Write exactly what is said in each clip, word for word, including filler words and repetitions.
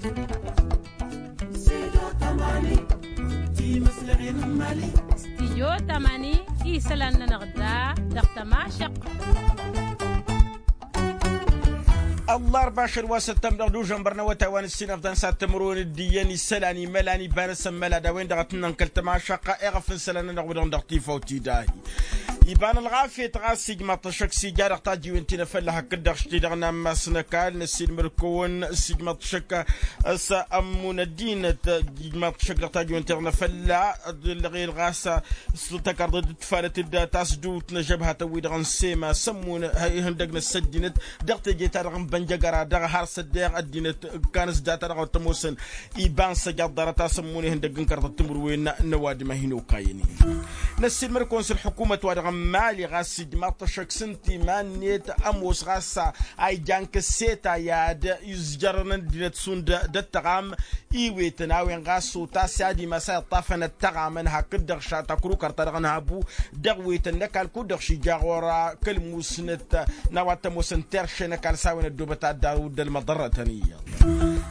Stijyo tamani isălan-nănăɣ da dăɣ-tămašăq. Ăllarba ašăl wa săttămdăɣ d-užănbăr n-awătay wa n-ǝssin ăfḍăn s-ad-tǝmrǝwăn d-iyyăn isălan imălan iba-năsăn măla d-a-wen-dăɣ a tǝnnăn kăl-tămašăq eɣăf n-isălan-nănăɣ wi-dăɣ dăɣ-tifawt idahi. Iba n-ălɣafyăt ɣas ijmaḍ-t ăššăk s-ija dăɣ-tajǝwen ti n-afălla hakd-dăɣ šti-dăɣ n-ammas n-ăkall năssiilmăr-kăwăn s-ijmaḍ-t ăššăk s-ămmun ăddinăt. Ijmaḍ-t ăššăk dăɣ-tajǝwen ti-dăɣ n-afălla dd-ǝllăɣel ɣas s-tăkarḍăt d-ǝtfalăt d-tasdut n-ažăbhatăn-wi-dăɣ n-sema s-ămmun ihăndăg n-ăssăddinăt dăɣ-teje-ta-dăɣ n-bănjăgăra dăɣ-har s-ăddeɣ ăddinăt. Kăn s-data-dăɣ wăr t-ămoosăn iba n-săjaḍ ḍarăt a-s ămmun ihăndăg n-kărḍăt timǝrwen n-ăwadǝm a hin-okayăn-i. Năssiilmăr-kăwăn s-ălḥukumăt-wa-dăɣ n-mali ɣas ijmaḍ-t ăššăk s-ǝnta iman-net ămoos ɣas a ijan kăsseta i-ad-izjărăn ăddinăt šund d-ăttăɣam iwetăn a-wen ɣas otas i-ad-imas a iṭṭafăn ăttăɣamăn hakd-dăɣ šat akrukăr-ta-dăɣ n-habu dăɣ-wetăn n-ăkall kud-dăɣ šija ɣur-a kăl-musnăt n-a-wa t-ămoosăn terše n-ăkall s-a-wen ăddoobăt ad-daru d-ălmăḍărrătăn iyyăḍ.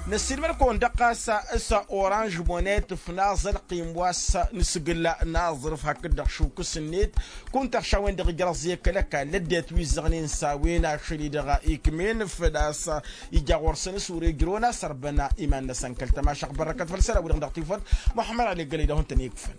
Năssiilmăr-kăwăn dăɣ-ɣas s-oranž monet ăfnaẓ ălqim wa s-nǝsgǝl n-aẓrǝf hakd-dăɣ šukǝs-net kunta ăššawen-dăɣ ijrăẓ i-kăl-ăkall ăddinăt wi ǝzzăɣnen s-a-wen ašăl-i-dăɣ ikm'-en făl-a-s ija ɣur-săn s-wăr-ejrăwăn a-s ărbăna iman-năsăn kăl-tămašăɣ bărrăkăt făll-isălan-wi-dăɣ dăɣ-tifăt. Muḥămmăd ali gălăy dăɣ-hawăn-tăn-ikfăn.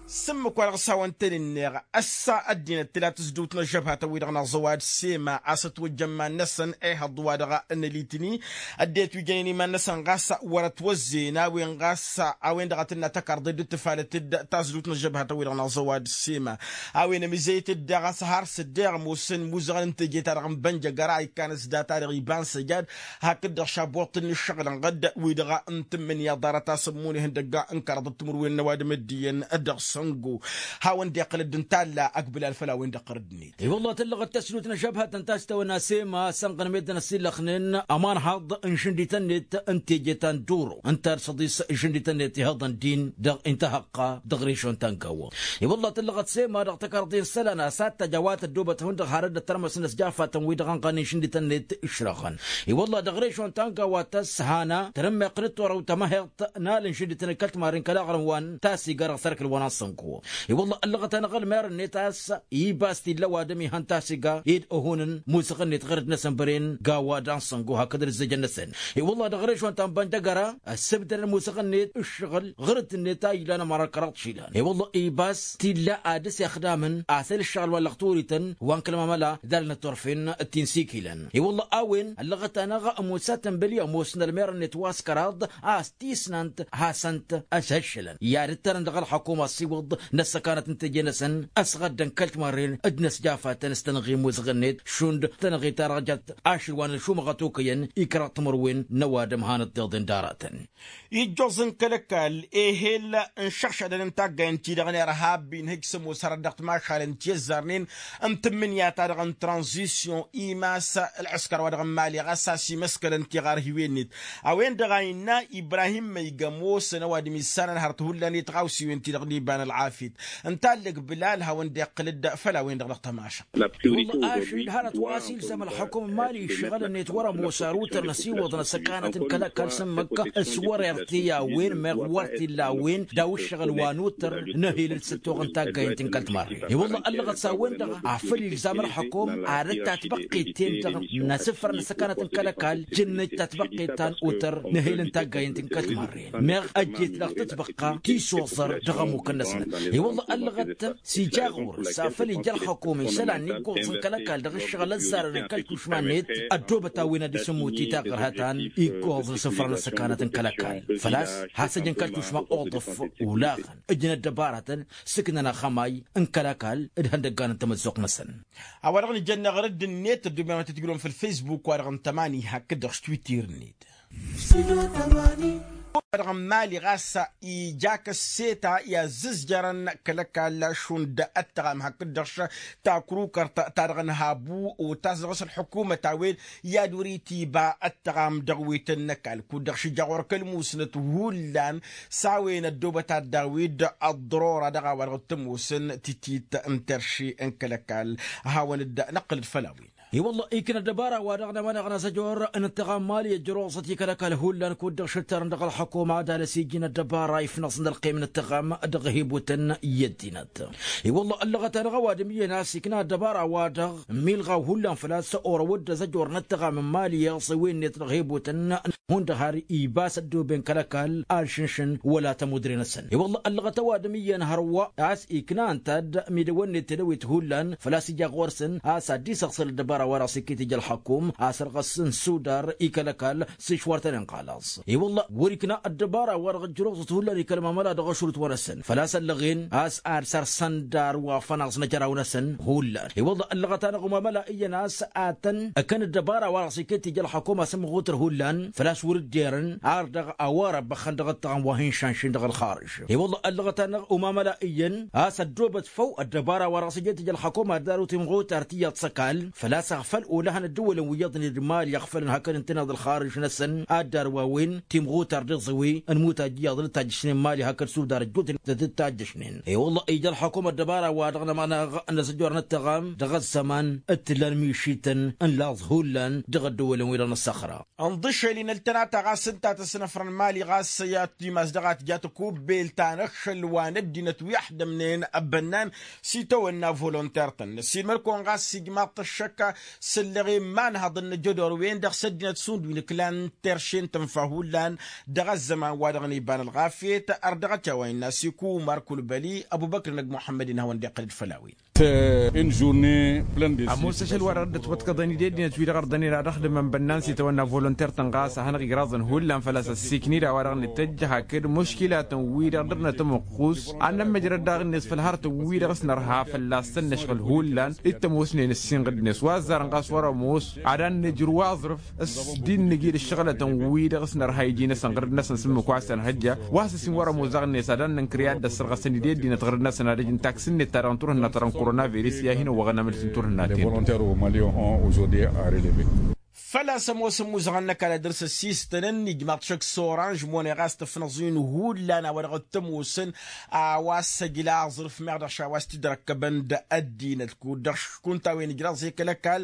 S-ǝmmǝk-wa-dăɣ s-hawăn-tăn-inneɣ ăssa ăddinăt tǝla tǝzdǝwt n-ăžžăbhatăn-wi-dăɣ n-aẓăwad sema a-s ătwăjja iman-năsăn ehăḍ-wa-dăɣ n-ălitni ăddinăt wi jănen iman-năsăn ɣas wăr-ătwăzzeyăn a-wen ɣas a-wen-dăɣ a tǝnna tăkarḍe dd-tǝfalăt-dd tazǝdut n-ăžžăbhatăn-wi-dăɣ n-aẓăwad sema a-wen ămizăyăt-dd daɣ a-s har s-ăddeɣ ămoosăn imuzăɣăn n-teje-ta-dăɣ n-bănjăgăra ikkan s-data-dăɣ iba n-săjad hakd-dăɣ šaboḍt n-ǝššăɣǝl ănɣăd wi-dăɣ n-tǝmmǝnǝya ḍarăt a-s ămmun ihăndăgga n-kărăḍăt timǝrwen n-ăwadǝm d-iyyăn dăɣ-săngo. Hawăn-dd-iqqǝlăd ǝnta a ăgg bǝlal făll-a-wen-dăɣ ɣărăd-net. I-wălla tǝllăɣăt tăsnut n-ažăbhătăn ta s-tawănna sema sănɣăn meddǝn ăsillăxnen ămanhaḍ n-išǝndităn-net n-teje ta n-duro ǝnta d-săḍis išǝndităn-net ihăḍăn din dăɣ-intăhăqqa dăɣ-rešon ta n-gawwa. I-wălla tǝllăɣăt sema dăɣ-tăkarḍe n-isălan a-s ad-tajj a-wa tăddoobăt hundăɣ harăt d-ăttărmăs n-ăsjafătăn-wi-dăɣ ănɣănen išǝndităn-net ǝšrăɣăn. I-wălla dăɣ-rešon ta n-gawwa tăshana tărǝmmeɣ d-torăw tămăheḍt n-alǝnšǝndităn d-kăl-timarren kăl-aɣrǝm wa n-tasiga dăɣ-sărkǝl wa n-asănko. I-wălla ăllăɣăt-anăɣ ălmer-net a-s ibas t-illa ăwadǝm ihăn tasiga ed ăhunăn musăɣ-net ɣărăt-năsăn băren gawa d-ansăngo hakd ălǝzzejăn-năsăn. I-wălla dăɣ-rešon ta n-băndăgăra ăssǝbdădăn musăɣ-net ǝššăɣǝl ɣărăt-net a ilan ămăra kăraḍ išilan. I-wălla ibas t-illa ad-dăr-s ixdamăn asăl ǝššăɣǝl wa n-lăɣturităn wa n-kăl-mamăla d-alnăt turfen d-tinsikilăn. I-wălla a-wen ăllăɣăt-anăɣ ămoos atănbăli ămoosăn ălmer-net wa s-kăraḍ a-s tisnant hasăn-t ăshăššălăn i-ad-ǝttărăn dăɣ-ălxăkum ăssiwǝḍ n-ăssăkanăt n-teje-năsăn ăsɣăddăn kăl-timarren d-inăsjafatăn s-tănɣi n-imuzăɣ-net šund tănɣi ta dăɣ-jăt ašăl wa n-ălšumăɣăt okăyăn i-kăraḍ timǝrwen n-ăwadǝm hanăt-tiḍen d-aratăn. Ijjoẓ n-kăl-ăkall ehel n-išăɣšadăn n-taggay n-ti-dăɣ n-irhab inhǝj s-ămoos hărăt dăɣ-timašalăn ti ăzzarnen n-tǝmmǝnǝya-ta-dăɣ n-tranzisyon imas ălɣǝskăr wa dăɣ-n mali ɣas a-s imăskălăn tiɣarhiwen-net. A-wen-dăɣ a innă ibrahim măyga ămoosăn ăwadǝm issanăn hărăt hullan i-tiɣawsiwen-ti-dăɣ n-iba n-ălɣafyăt ǝnta a ǝllăg bǝlal hawăn-dd-iqqǝl-dd făll-a-wen-dăɣ dăɣ-tămašăɣt. I-wălla ašăl hărăt wa s-ilzam ălxukum n-mali ǝššăɣǝl-net wăr-ămoos ar utăr n-ăsiwăḍ n-ăssăkanăt n-kăl-ăkall s-ǝmmǝk s-wăr-irti a-wen meɣ wăr t-illa a-wen daw ǝššăɣǝl wa n-utăr n-ehel d-săttoɣ n-taggayăn ti n-kăl-timarre. I-wălla ăllăɣăt s-a-wen-dăɣ a făl ilzam ălxukum ad-dd-tatbăqqet-ten-dăɣ n-asǝfrăn n-ăssăkanăt n-kăl-ăkall jǝnnăj tatbăqqet ta n-utăr n-ehel n-taggayăn ti n-kăl-timarre meɣ ăjjeet dăɣ-tǝtbăqqa tisoẓăr dăɣ-ămmukăn-năsnăt. I-wălla ăllăɣăt s-ija ɣur-s a făl ija ălxukum isălan iggoẓ n-kăl-ăkall dăɣ-ǝššăɣǝl ăzzarăn n-kăl-tušma-net ăddoobăt a-wen ad-dd-isǝmmut i-taɣărhăt ta n-iggoẓ n-isǝfrăn n-ăssăkanăt n-kăl-ăkall. Făl-a-s has-ăjăn kăl-tušma uḍǝf olaɣăn ǝjǝn ăddăbaratăn sǝknăn axămay n-kăl-ăkall d-ihăndăggan n-tamăzzuɣt-năsăn. A-wa-dăɣ nǝjănna ɣărădd-net ădduben wa tǝtjǝlon făll-fesbuk-wa-dăɣ n-tămani hakd-dăɣ s-twitter-net. Wa-dăɣ n-mali ɣas ija kăsseta i-azzǝzjărăn kăl-ăkall šund ăttăɣam hakd-dăɣ takrukărt ta dăɣ-năhabu otas dăɣ-s ălḥukumăt a-wen i-ad-wăr-itiba ăttăɣam dăɣ-wetăn n-ăkall kud-dăɣ šija ɣur-kăl-musnăt hullan s-a-wen ăddoobăt ad-daw-dd ăḍḍărora dăɣ-a-wa-dăɣ t-ămoosăn titit n-terše n-kăl-ăkall. Hawăn-dd-năqqǝlăd făll-a-wen. I-wălla ikna ăddăbara-wa-dăɣ n-ămanăɣ n-asăjor n-ǝttăɣam mali ăjrăwăẓăt i-kăl-ăkall hullan kud-dăɣ šǝttărăn dăɣ-ălxukuma ad-alăs iji n-ăddăbara ifnăẓ n-ălqim n-ǝttăɣam dăɣ-hibutăn i-ăddinăt. I-wălla ăllăɣăt-anăɣ ăwadǝm iyyăn a-s ikna ăddăbara-wa-dăɣ milɣaw hullan făl-a-s orăw-dd azăjor n-ǝttăɣam n-mali iyyăḍ s-ewenniyăt dăɣ-hibutăn hundăɣ har ibas ăddooben kăl-ăkall alšǝnšǝn wăla tămudre-năsăn. I-wălla ăllăɣăt ăwadǝm iyyăn hărwa a-s ikna ǝnta-dd midăwănnet tedăwit hullan făl-a-s ija ɣur-săn a-s ad-dd-isăɣ săl ăddăbara-wa-dăɣ s-iket ija ălxăkum a-s ărɣăs n-sudar i-kăl-ăkall s-išwărtăn-in xalaṣ. I-wălla wăr-ikna ăddăbara-wa-dăɣ ǝjrăwẓăt hullan i-kăl-mamăla dăɣ-ašrut-wa-năsăn făl-a-s ăllăɣen a-s ad-săr-săn dar wa fănaẓ n-ajăraw-năsăn hullan. I-wălla ăllăɣăt-anăɣ umamăla iyyăn a-s ad-tăn-ăkkăn ăddăbara-wa-dăɣ s-iket ija ălxăkum a-s ǝmmăɣutăr hullan făl-a-s wăr dd-erăn ar dăɣ-a-wa răbbăxăn dăɣ-ǝttăɣăm wa hin-šanšin dăɣ-ălxarǝž. I-wălla ăllăɣăt-anăɣ umamăla iyyăn a-s ăddoobăt făw ăddăbara-wa-dăɣ s-ijet ija ălxăkum ad-daru timɣutar tiyyăḍ s-ăkall făl-a-s ăɣfăl olăhăn ăddǝwălăn wi iyyăḍnen d-mali ăɣfălăn hakd ǝntăneḍ ălxarǝž-năsăn ad-darwawen timɣutar d-iẓǝwi n-imutaj iyyăḍ d-tajjăšnen mali hakd sudar ăjjootnen d-tajjăšnen. I-wălla ija ălxăkum ăddăbara-wa-dăɣ n-ămanăɣ n-asăjor n-ǝttăɣam dăɣ-ăzzăman d-t-ǝllan mišităn n-laẓ hullan dăɣ-ăddǝwălăn-wi-dăɣ n-ăssăxra. Ǝnḍǝšel-in ăltănata ɣas ǝnta tăsnăfrăn mali ɣas i-ad-timas dăɣ-ad-tǝja tăkubbelt ta n-ăkšăl wa n-ăddinăt wi ăḥdămnen ăbbănnan s-itawănna volonter-tăn ăssiilmăd-kăwăn ɣas s-ijmaḍ-t ăššăk s-ǝllăɣen imanhăḍăn n-ajădor-wen-dăɣ s-ăddinăt šund wi n-ǝklan terše n-tǝnfa hullan dăɣ-ăzzăman-wa-dăɣ n-iba n-ălɣafyăt. Ărdăɣăt i-a-wa innă s-iku umar kulbăli ăbubăkr n-ăgg muḥămmăd-in hawăn-dd-iqqăl-dd făll-a-wen. Ămoos ašăl-wa-dăɣ dd-ătwăḍkăḍăn-dd i-ăddinăt-wi-dăɣ ărdănen ad-ăxdǝmăn bănnan s-itawănna volonter-tăn ɣas a hanăɣ-igraẓăn hullan făl-a-s ăssiikned a-wa-dăɣ nǝtăjj hakd muškilatăn-wi-dăɣ dăr-nătămăqqus ad-nămmăjrăd daɣ-net făll-harătăn-wi-dăɣ s-nărha fălla-săn năšɣǝl hullan. Dd-tămoosnen ǝssinɣǝd-net wa ăzzarăn ɣas wăr-ămoos ad-ad-nǝjrǝw aẓrǝf s-dd-innǝj-dd ǝššăɣǝlătăn-wi-dăɣ s-nărha iji-năsăn ɣǝrǝd-năsăn s-ǝmmǝk wa s-ănhăjja wa s-ăsin wăr-ămoos daɣ-net ad-ad-nǝnkăr i-ad-dd-ăssărɣăsăn-dd i-ăddinăt ɣǝrǝd-năsăn ad-ăj n-taksǝn-net ta dăɣ-n turhǝnna ta dăɣ-n korona virus i-ad-hin-ăwwăɣăn amǝlǝs n-turhǝnna-ten. Făl-a-s ămoosăn imuzăɣăn n-ăkall ad-dăr-s ăssistănăn ijmaḍ-t šăkk s-oranž mone ɣas tǝfnăẓ-in hullan a-wa dăɣ-t-ămoosăn a-wa s-ăjla aẓrǝf meɣ dăɣ-š a-wa s-t-dd-răkkăbăn d-ăddinăt kud-dăɣ škunta a-wen ǝjraẓ i-kăl-ăkall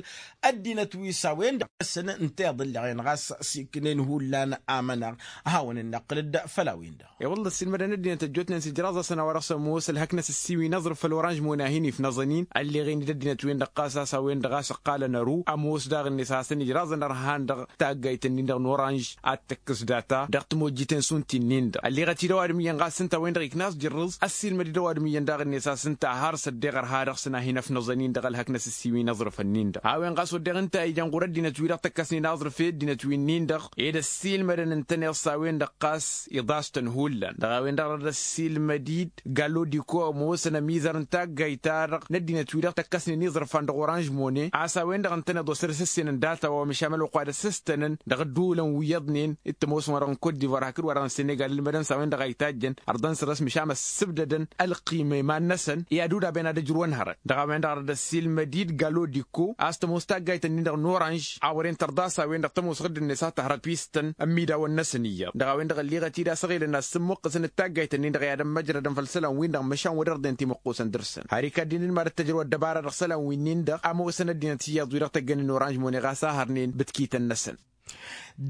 ăddinăt wi s-a-wen-dăɣ ăssăn ǝnta iḍǝllăɣen ɣas s-iknen hullan amănăɣ. Ad-hawăn-in-năqqǝlăd făll-a-wen-dăɣ. I-wălla ăssiilmădăn ăddinăt ăjjootnen s-ijraẓ-asăn a-wa dăɣ-s ămoos ălhăknăs ǝssiwin aẓrǝf făll-oranž mone a hin-ifnăẓăn-in ălleɣen-dd ăddinăt-wen-dăɣ ɣas a-s a-wen-dăɣ a-s ǝqqalăn ărǝw ămoos daɣ-net a hasăn-ijraẓăn ărhan dăɣ-taggayt-nin-dăɣ n-oranž ad-tǝkkǝs data dăɣ-timojjiten šund ti-nin-dăɣ ălleɣăt-dd ăwadǝm iyyăn ɣas ǝnta a-wen-dăɣ ikna a-s jǝrrǝẓ. Ăssiilmăd-dd ăwadǝm iyyăn daɣ-net a-s ǝnta a har s-ăddeɣ ărha dăɣ-săn a hin-ăfnăẓăn-in dăɣ-ălhăknăs ǝssiwin aẓrǝfăn-nin-dăɣ a-wen ɣas wădden ǝnta a ijan ɣur-ăddinăt-wi-dăɣ tăkkăsnen aẓrǝf i-ăddinăt wi-nin-dăɣ ed ăssiilmădăn ǝntăneḍ s-a-wen-dăɣ ɣas iḍas-tăn hullan dăɣ-a-wen-dăɣ dăr-ăssiilmăd-dd galodiko ămoosăn ămizăr n-taggayt-ta-dăɣ n-ăddinăt-wi-dăɣ tăkkăsnen iẓrǝfan dăɣ-oranž mone a-s a-wen-dăɣ ǝntăneḍ osăr s-ǝssenăn data wa măšan ălwăqq wa d-ăssistănăn dăɣ-ădduulăn wi iyyăḍnen d-tămoos wa dăɣ-n kot divoir hakd wa dăɣ-n senegal ǝlmădăn s-a-wen-dăɣ a itajjăn ărḍăn săr-s măšan ăssǝbdădăn ălqima iman-năsăn i-ad-udaben ad-ăjrǝwăn hărăt. Dăɣ-a-wen-dăɣ dăr-ăssiilmăd-dd galodiko a-s tămoos taggayt-nin-dăɣ n-oranž a wăren tărḍa s-a-wen-dăɣ tămoos ɣǝddǝn-net a tăhrăt wi s-tăn ămmidaw-ănnăsăn iyyăḍ dăɣ-a-wen-dăɣ ălliɣăt-dd a-s ăɣilăn ad-sǝmmǝqqǝsăn d-taggayt-nin-dăɣ i-ad-ămmăjrădăn făll-isălan-win-dăɣ măšan wăr-ărdăyăn timǝqqusăn dăr-săn har ikaddinen mad-ăttăjrăw ăddăbara dăɣ-isălan-wi-nin-dăɣ ămoosăn ăddinăt iyyăḍ wi-dăɣ tăggănen oranž mone ɣas a hărnen bǝtkităn-năsăn.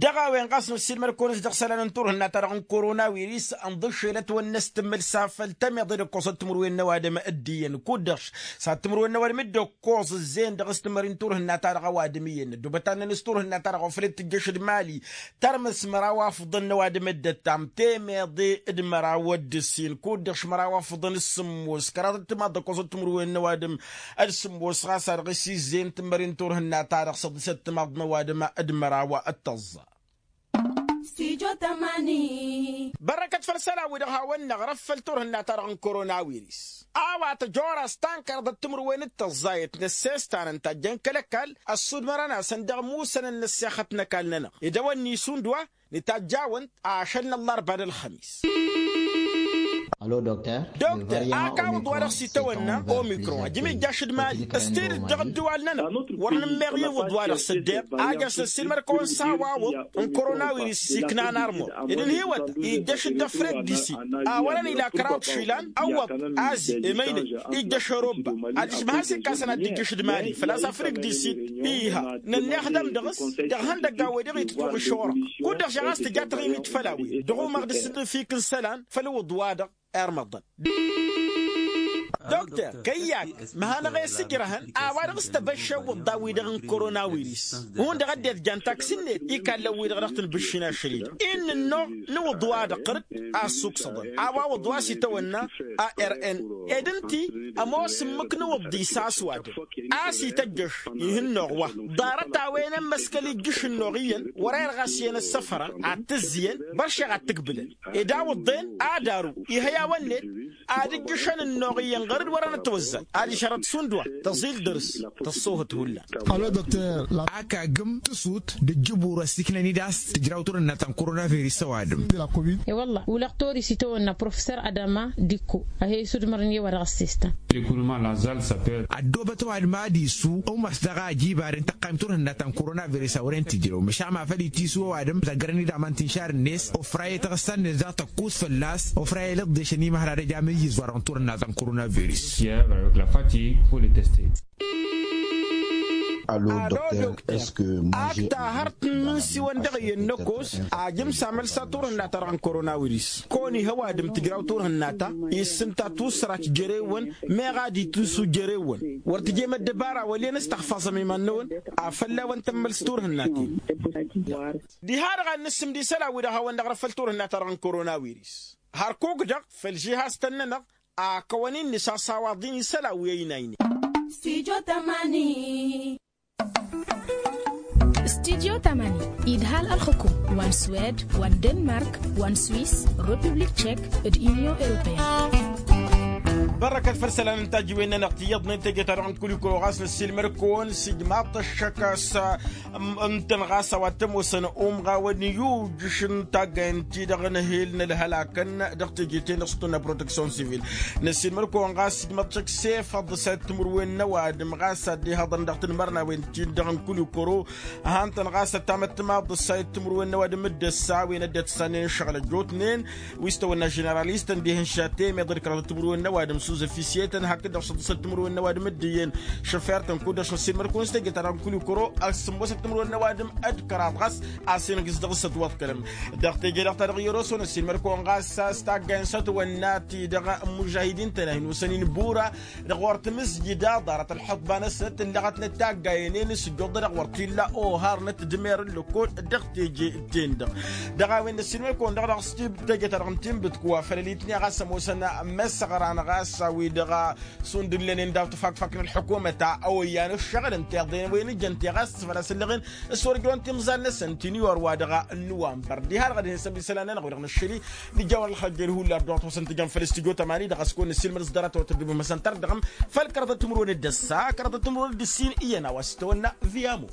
Dăɣ-a-wen ɣas n-ăssiilmăd-kăwăn-s dăɣ-isălan n-turhǝnna-ta-dăɣ n-korona wiris ǝnḍǝššelăt wăr năstǝmmǝl s-afăl tămeḍe d-ǝkkoẓăt timǝrwen n-ăwadǝm d-iyyăn kud-dăɣ s-ad-timǝrwen n-ăwadǝm dd-ǝkkoẓ ǝzzeyăn dăɣ-s timări n-turhǝnna-ta-dăɣ ăwadǝm iyyăn ăddoobăt ad-năn s-turhǝnna-ta-dăɣ wa făl dd-tǝjjăš d-mali. Tărmǝs măraw afǝḍăn n-ăwadǝm dd-ăttam temeḍe d-măraw d-ǝssin kud-dăɣ š-măraw afǝḍăn s-sǝmmos kăraḍăt timaḍ d-ǝkkoẓăt timǝrwen n-ăwadǝm d-sǝmmos ɣas a dăɣ-s izzeyăn timări n-turhǝnna-ta-dăɣ săḍisăt timaḍ n-ăwadǝm d-măraw d-tăẓẓa. Bărrăkăt făll-isălan-wi-dăɣ hawăn-năɣrăf făll-turhǝnna-ta-dăɣ n-korona wiris a-wa tăjoras ta n-kăraḍăt timǝrwen d-tăẓẓayăt n-ăssestan ǝnta a ǝjjăn kăl-ăkall ăssudmărăn-asăn dăɣ-imusănăn n-ăssexăt n-ăkall-nănăɣ idăwănni šund wa. Nǝtajj'-awăn-t ašăl n-ăllarba d-ălxămis. Dokter, ak awǝḍ wa-dăɣ s-itawănna omikron ajǝm ijjaš d-mali s-tidǝt dăɣ-ǝddǝwal-nănăɣ. Wăr nǝmmeɣ iwǝḍ wa-dăɣ s-ăddeɣ a jas ăssiilmăr-kăwăn s-a-wa-wăḍ n-koronawiris s-iknan armăḍ ed ǝnhǝywăt ijjăš-dd ăfreg d-isit. A wărăn ila kăraḍ išilan ăwwăḍ azi emăynăy ijjăš ărobba. Adiš măhăs ikkasăn ad-dd-ijjăš d-mali făl-a-s ăfreg d-isit. Iha nănneɣ dăm dăɣ-s dăɣ-ihăndăgg a-wen-dăɣ itǝjjuɣ išorăɣ. Kud-dăɣ žăɣ a-s tǝja taɣimit făll-a-wen dăɣ-umăɣ d-asǝnnǝfik n-isălan făll-iwǝḍ wa-dăɣ. Irmăḍăn dokter kăyy-ak măhănăɣ-e s-ǝjrăhăn a-wa-dăɣ s-tebăšše iwǝḍḍa-wi-dăɣ n-koronawiris. Hundăɣ ăddinăt jan taksi-net ikallăn-wi-dăɣ dăɣ-tǝnbǝššin ašăl-i-dăɣ innă ănnuɣ n-iwǝḍ wa-dăɣ ɣur-dd. Asuksăḍăn a-wa wǝḍ wa s-itawănna a r n ed ǝnti ămoos ǝmmǝk n-iwǝḍḍi s-aswadăn a-s ităjjăš. Ih' ǝnnuɣ wa ḍarăt a-wen ămmăskăl ijjǝš ǝnnuɣ iyyăn wăr-e-dăɣ a-s iyyăn ăssăfărăn ad-t-ǝzzǝyăn. Băršeɣ ad-t-ǝgbǝlăn ed a wǝḍḍen ad-aru ihăy a-wăn-net ad-ǝjjǝšăn ǝnnuɣ iyyăn ɣur-dd wărăn ătwăzzay. Adiš hărăt šund wa tăẓil dăr-s tăṣṣoohăt hullan. Ak agǝm tǝsut d-ǝjjǝbur ăssiiknăn-dd a-s tǝjraw turhǝnna ta n-koronaviris ăwadǝm. E-wălla ulăɣ toris itawănna professor adama dikko. Ăhe isudmărăn i-wa dăɣ-ăssistăn. Ăddoobăt ăwadǝm ad-isu umas dăɣ-a ăjiba d-intăqqayăm turhǝnna ta n-koronaviris a wăren tǝjrew măšan ma făl itisu ăwadǝm tăggărăn-dd aman tinšar-net ofra i-taɣǝssa-net daɣ tăkkus fălla-s ofra i-lăḍḍešăn imăhra d-ăj amǝyyǝz wa-dăɣ n-turhǝnna ta n-koronaviris. Ak ta hărăt n-inǝnsiwăn dăɣ-iyyăn n-ăkos ajǝm s-amălsa turhǝnna-ta-dăɣ n-koronawiris. Kăwăn-ih ăwadǝm tǝjraw turhǝnna-ta issǝnta tussărat jere-wăn. Meɣ ad-itǝnsu jere-wăn wăr tǝjem ăddăbara wăl' iyyăn s-tăxfaẓăm iman-năwăn. Afălla-wăn tămmăls turhǝnna-ti-dăɣ diha-dăɣ ad-nǝssǝmd isălan-wi-dăɣ hawăn-dăɣ răfăl turhǝnna-ta-dăɣ n-koronawiris. Hărkuk-dăɣ făll-žihaz-tăn-nănăɣ a kăwăn-in-nǝsasawaḍ-in isălan wi ăynaynen. Studyo tamani idhal ălxǝkum wa n-swed wa n-denmark wa n-swis, republik tšek d-inyon europeyăn. Bărrăkăt făll-isălan n-tajǝwen-nănăɣ tiyyăḍnen teje-ta-dăɣ n-kul ikro ɣas năssiilmăd-kăwăn s-ijmaḍ-t ăššăk a-s ǝntăn ɣas a-wa t-ămoosăn umɣawăn iyujǝš n-taggayen-ti-dăɣ n-ehel n-ălhălakăn. Dăɣ-teje-ten dăɣ-s tăwănna proteksyon sivil. Năssiilmăd-kăwăn ɣas ijmaḍ-t ăššăk s-efăḍ s-ayǝtmǝrwen n-ăwadǝm ɣas ad-dd-ihăḍăn dăɣ-tanmărnawen-ti-dăɣ n-kul ikro. Han-tăn ɣas ătamăttămaḍ s-ayǝtmǝrwen n-ăwadǝm d-ăssa a-wen ăddinăt ǝssannen ǝššăɣǝl ăjjootnen wi s-tăwănna ženeralist ăndihăn šatemed d-kăraḍăt timǝrwen n-ăwadǝm s-uzăfisiyetăn hakd-dăɣ šăḍǝsăt timǝrwen n-ăwadǝm d-iyyăn šăfer-tăn kud-dăɣ šănsilmăr-kăwăn s-teje-ta-dăɣ n-kul ikăro. Ăssǝmmosăt timǝrwen n-ăwadǝm d-kăraḍ ɣas a-s inǝgg s-dăɣ-s ătwăḍkălăm. Dăɣ-teje-dăɣ-ta-dăɣ i-ăroson ăssiilmăr-kăwăn ɣas s-taggayen s-ătwănna-ti-dăɣ n-imužahidin-tăn a hin-osăn-in bura dăɣ-wăr timǝzjǝd a ḍarăt ălḥăḍba-năsnăt ǝllăɣătnăt taggayen-en s-ǝjjuḍ-dăɣ wăr t-illa ohar n-ătdmer ǝllăkol. Dăɣ-teje-ten-dăɣ dăɣ-a-wen năssiilmăr-kăwăn-dăɣ dăɣ-s teje-ta-dăɣ n-tinbǝt-kăwăn făll-ălitni ɣas ămoosăn măssăɣra n-ɣas a-wi-dăɣ šund ǝllănen daw-tǝfakfak n-ălḥukumăt a ăwăyyan ǝššăɣǝl ǝnta iḍen wen ǝjăn teɣast făl-a-s ǝllăɣen s-wăr ǝjrăwăn timẓal-năsăn ti n-iwar wa dăɣ-nǝwanbăr diha-dăɣ ad-hin-săbisăl-anăn-dăɣ wi-dăɣ năššăli. Nǝjawăr ălxăjjăl hullan dăɣ-tăwăsăn tǝjăn făll-studyo tamani dăɣ-s kăwăn-nǝssilmăd s-dăr-a tăwăt-ăddubǝm măsăntăr dăɣ-m făll-kăraḍăt timǝrwen d-ăssa kăraḍăt timǝrwen d-ǝssin iyyăn a-wa s-tăwănna. Viyamo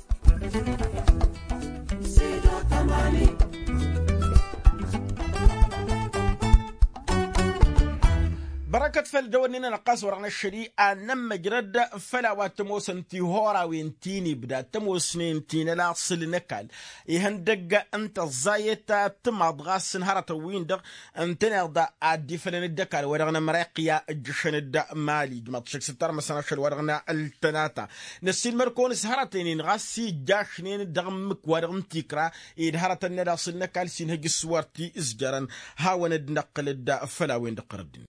bărăkăt făll-dăwănnin-nănăɣ ɣas wăr-dăɣ năššăli ad-nămmăjrăd făll-a-wa t-ămoosăn tihorawen ti n-ibda tămoosnen ti n-ălaṣăl n-ăkall ihăndăgg n-tăẓẓayet. Tǝmaḍ ɣas n-hărătăn-win-dăɣ ǝntăneḍ ad-dd-ifălăn d-ăkall wa dăɣ-nămrăyăqya ǝjjǝšăn d-mali ǝjmaḍ šăkk s-ǝttar măsănašăl wa dăɣ-năltănata. Năssiilmăr-kăwăn s-hărăten-in ɣas ijjašnen dăɣ-ǝmmǝk wa dăɣ-n tikra ed hărătăn n-ălaṣăl n-ăkall s-inhǝj s-wăr t-izjărăn. Hawăn-dd-năqqǝl-dd făll-a-wen-dăɣ ɣărăddin.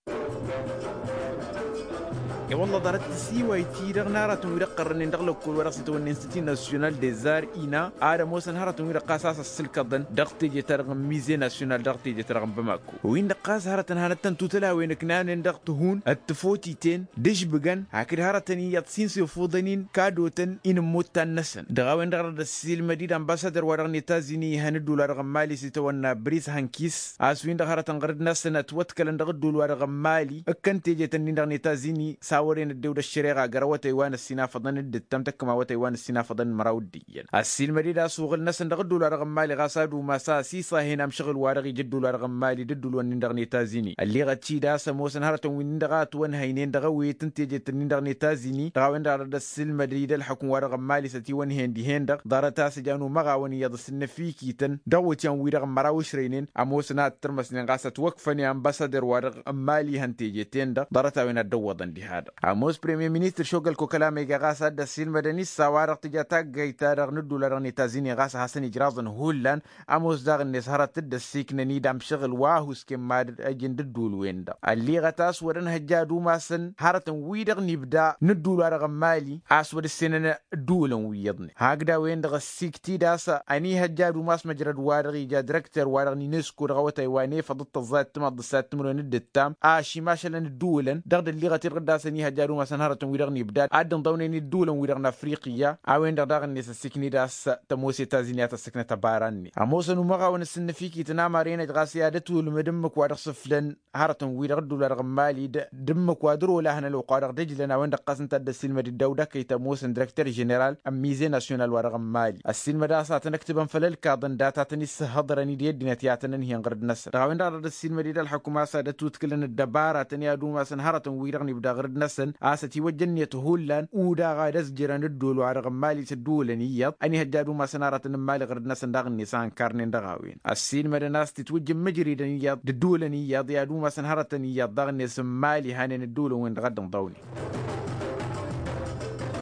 E-wălla ḍarăt tisiway-ti-dăɣ n-aratăn wi dăɣ-qărrănen dăɣ-lăkkol wa dăɣ-s itawănnen s-ti nasyonal dezar ina ad-ămoosăn hărătăn wi dăɣ-ɣas a-s ăssǝlkăḍăn dăɣ-teje-ta-dăɣ n-mize nasyonal dăɣ-teje-ta-dăɣ n-bamako. Win-dăɣ ɣas hărătăn hanăt-tăn-tutăl a-wen ǝknanen dăɣ-tihun d-tǝfotiten d-ažbǝgăn hakd hărătăn iyyăḍ s-insa ifuḍăn-in kadotăn inǝmmuttan-năsăn dăɣ-a-wen-dăɣ dăr-dd-ăssiilmăd-dd ănbasadăr wa dăɣ-netazini ihăn ǝddul wa dăɣ-n mali s-itawănna bris hankis a-s win-dăɣ hărătăn ɣǝr-dd-năsăn ătwăḍkălăn dăɣ-ǝddul wa dăɣ-n mali ǝkkăn teje-tăn-in-dăɣ netazini. wăren ăddew d-ăššăreɣa găr awătay wa n-ăssinafăḍăn d-ǝttam tăkkăm awătay wa n-ăssinafăḍăn n-măraw d-iyyăn ăssiilmăd-dd a-s uɣǝl-năsăn dăɣ-ǝddul-wa-dăɣ n-mali ɣas ad-umas a ăsisăhen amšăɣǝl-wa-dăɣ ija ǝddul-wa-dăɣ n-mali d-ǝddul-wăn-nin-dăɣ n-etazini ălliɣăt-dd a-s ămoosăn hărătăn wi-nin-dăɣ a ătwănhăynen dăɣ-ewet n-tejet-nin-dăɣ n-etazini dăɣ-a-wen-dăɣ a dăɣ-dd-ăssiilmăd-dd ălxukǝm-wa-dăɣ n-mali s-ătiwănhen dihen-dăɣ ḍarăt a-s ǝjan umăɣawăn iyyăḍ s-ǝnnăfikităn dăɣ-iwǝtyan-wi-dăɣ n-măraw ǝšrăynen ămoosăn a ăttărmăsnen ɣas ătwăkfăn i-anbăsăder-wa-dăɣ n-mali ihăn tejet-en-dăɣ ḍarăt-a-wen a dd-ăwwăḍăn diha-dăɣ ămoos premye ministăr šogăl kokăl amăyga ɣas a dd-ăssiilmădăn issa wa-dăɣ tǝja taggayt-ta-dăɣ n-ǝddul-wa-dăɣ n-etazini ɣas a hasăn-ijraẓăn hullan ămoos daɣ-net hărăt dd-ăssiknăn-dd amšăɣǝl wa husken mad-ăjǝn d-ǝddul-wen-dăɣ ălliɣăt a-s wăr-ănhăjja ad-umasăn hărătăn-wi-dăɣ n-ibda n-ǝddul-wa-dăɣ n-mali a-s wăr-ǝssenăn ǝddulăn wi iyyăḍnen hakd a-wen-dăɣ ăssiikt-dd a-s ănihăjja ad-umas măjrăd-wa-dăɣ ija dirăkter-wa-dăɣ n-inesko dăɣ-awătay wa n-efăḍ d-tăẓẓayăt timaḍ d-ǝssayăt timǝrwen d-ǝttam ašim ašălăn ǝddulăn dăɣ-dd-ălliɣăt-dd ɣǝdda a-s ănihăjja ad-umasăn hărătăn-wi-dăɣ n-ibdad ad-dd-ǝnḍăwnen ǝddulăn-wi-dăɣ n-afriqya a-wen-dăɣ daɣ-net ăssiikned a-s tămoos etazini a tăssǝknăt ăbara-net ămoosăn umăɣawăn s-ǝnnăfikităn amărenăj ɣas i-ad-ătwǝlmǝd ǝmmǝk wa dăɣ-sǝflăn hărătăn-wi-dăɣ ǝddul-wa-dăɣ n-mali d-ǝmmǝk wa dăr-olăhăn ălwăqq-wa-dăɣ dăjlăn a-wen-dăɣ ɣas ǝnta a dd-ăssiilmăd-dd awdăkăy tămoosăn dirăkter ženeral n-mize nasyonal wa-dăɣ n-mali ăssiilmăd a-s ad-tăn-ǝktǝbăn făll-ălkaḍăn dat-a tăn-issǝhhăḍrăn-dd i-ăddinăt i-ad-tăn-ǝnhǝyăn ɣǝrǝd-năsăn dăɣ-a-wen-dăɣ a dăɣ-dd-ăssiilmăd-dd ălxukǝm a-s ad-ătutkǝlăn ăddăbaratăn i-ad-umasăn hărătăn-wi-dăɣ n-ibda ɣǝrǝd-năsăn a-s ătiwăjja ǝnniyăt hullan udaɣ ad-ăzjărăn ǝddol-wa-dăɣ n-mali s-ǝddǝwǝlăn iyyăḍ ănihăjja ad-umasăn aratăn n-mali ɣǝrǝd-năsăn daɣ-net a ănkarnen dăɣ-a-wen ăssiilmădăn a-s tǝtwǝjjǝn mǝjridăn iyyăḍ d-ǝddǝwǝlăn iyyăḍ i-ad-umasăn hărătăn iyyăḍ daɣ-net n-mali hanen ǝddǝwǝlăn-wen-dăɣ a dd-ǝnḍăwnen.